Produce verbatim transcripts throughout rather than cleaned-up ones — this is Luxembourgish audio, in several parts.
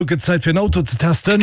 Gëtt Zäit fir en Auto ze testen.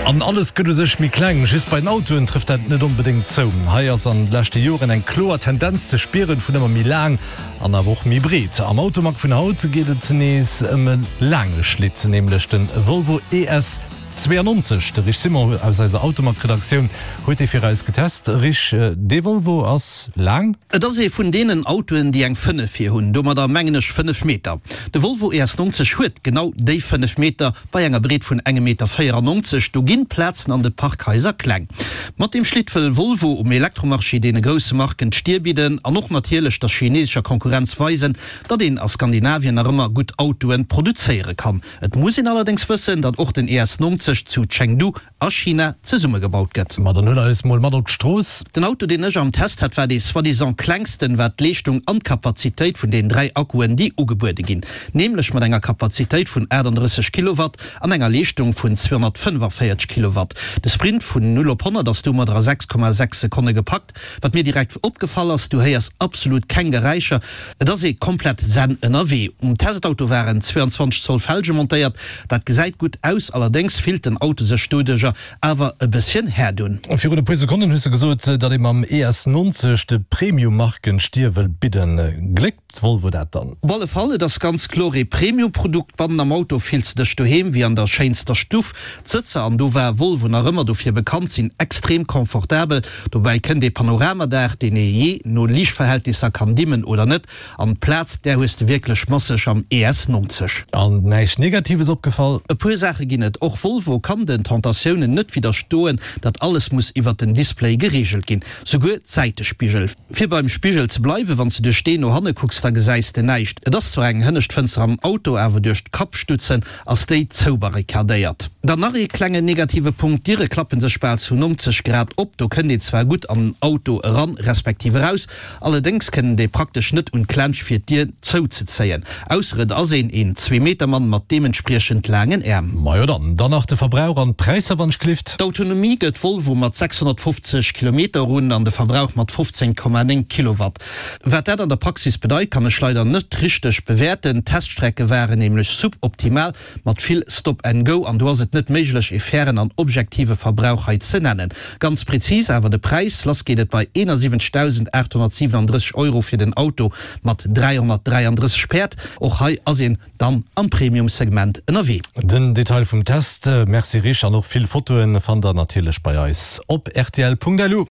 An alles gëtt u sech méi kleng, just bei den Autoen trëfft dat net onbedéngt zou. Hei ass an de leschte Joren eng kloer Tendenz ze spieren, vun ëmmer méi laang an awer och méi breet. Am Automag vun haut geet et nees ëm e laange Schlitt, nämlech de Volvo E S zwéianonzeg. De Rich Simon aus eiser Automag-Redaktioun huet dee fir eis getest. Rich, dee Volvo ass laang? Et ass ee vun deenen Autoen, déi eng fënnef vir hunn. Domadder mengen ech fënnef Meter. De Volvo E S nonzeg huet genau déi fënnef Meter bei enger Breet vun engem Meter véierannonzeg. Do ginn d'Plazen an de Parkhaiser kleng. Mat deem Schlitt wëll Volvo um Elektromarché deene grousse Marken d'Stier bidden an och natierlech der chineesescher Konkurrenz weisen, datt een a Skandinavien nach ëmmer gutt Autoe produzéiere kann. Et muss een allerdéngs wëssen, datt och den E S nonzeg zu Chengdu a China zesummegebaut gëtt. Ma dann huel eis mol mat op d'Strooss. Den Auto, deen ech am Test hat, war dee soi-disant klengsten, wat d'Leeschtung an d'Kapazitéit vun den dräi Akkuen, déi ugebuede ginn, nämlech mat enger Kapazitéit vun achtandrësseg Kilowatt an enger Leeschtung vun zweehonnertfënnefavéierzeg Kilowatt. De Sprint vun null op honnert ass domadder a sechs Komma sechs Sekonne gepackt. Wat mir direkt opgefall ass, du héiers absolut keng Geräischer, et ass ee komplett zen ënnerwee. Um Testauto waren zweeanzwanzeg Zoll Felge montéiert, dat gesäit gutt aus, allerdéngs fillt den Auto sech doduercher awer e bësschen herdun. Virun e puer Sekonnen hues de gesot, datt ee mam E S nonzeg de Premium-Marken d'Stier wëll bidden. Gléckt Volvo dat dann? Op alle Fall, et ass ganz kloer ee Premium-Produkt. Bannen am Auto fills de dech doheem wéi an der schéinster Stuff. D'Sëtzer, an do war Volvo nach ëmmer dofir bekannt, sinn extrem confortabel. Dobäi kënnt ee Panoramadaach, deen ee jee no Liichtverhältnisser kann dimmen oder net. An d'Plaz, där hues de wierklech masseg am E S nonzeg. An näischt Negatives opgefall? E puer Saache ginn et. Och Volvo kann den Tentatiounen net widderstoen, datt alles muss iwwert den Display gereegelt ginn, souguer d'Säitespigel. Fir beim Spigel ze bleiwen, wann s de duerch deen no hanne kucks, da gesäis de näischt. Et ass zwar eng hënnescht Fënster am Auto, awer duerch d'Kappstutzen ass déi zoubarrikadéiert. Dann nach ee klengen negative Punkt, D'Diere klappe sech bal zu nonzeg Grad op. Do kënnt een zwar gutt an den Auto eran, respektiv eraus, allerdéngs kënnt ee praktesch net un d'Klensch fir d'Dier zouzezéien, ausser et ass een een Zwee-Meter-Mann mat deementspriechend laangen Äerm. Majo dann, dann nach de Verbrauch an d'Präisser wann ech gelift. D'Autonomie gëtt Volvo mat sechshonnertfofzeg Kilometer un an de Verbrauch mat fofzéng Komma néng Kilowatt. Wat dat an der Praxis bedeit, kann ech leider net richteg bewäerten. D'Teststrecke waren nämlech suboptimal mat vill Stop and Go an do ass et net méiglech e fairen an objektive Verbrauch hei ze nennen. Ganz prezis awer de Präis, lass geet et bei eenasiwwenzegdausendachthonnertsiwenandrësseg Euro fir den Auto mat dräihonnertdräiandrësseg Päerd. Och hei ass een dann am Premium-Segment ënnerwee. Den Detail vum Test, merci Rich, an och vill Fotoen fannt der natierlech bei eis op rtl punkt lu.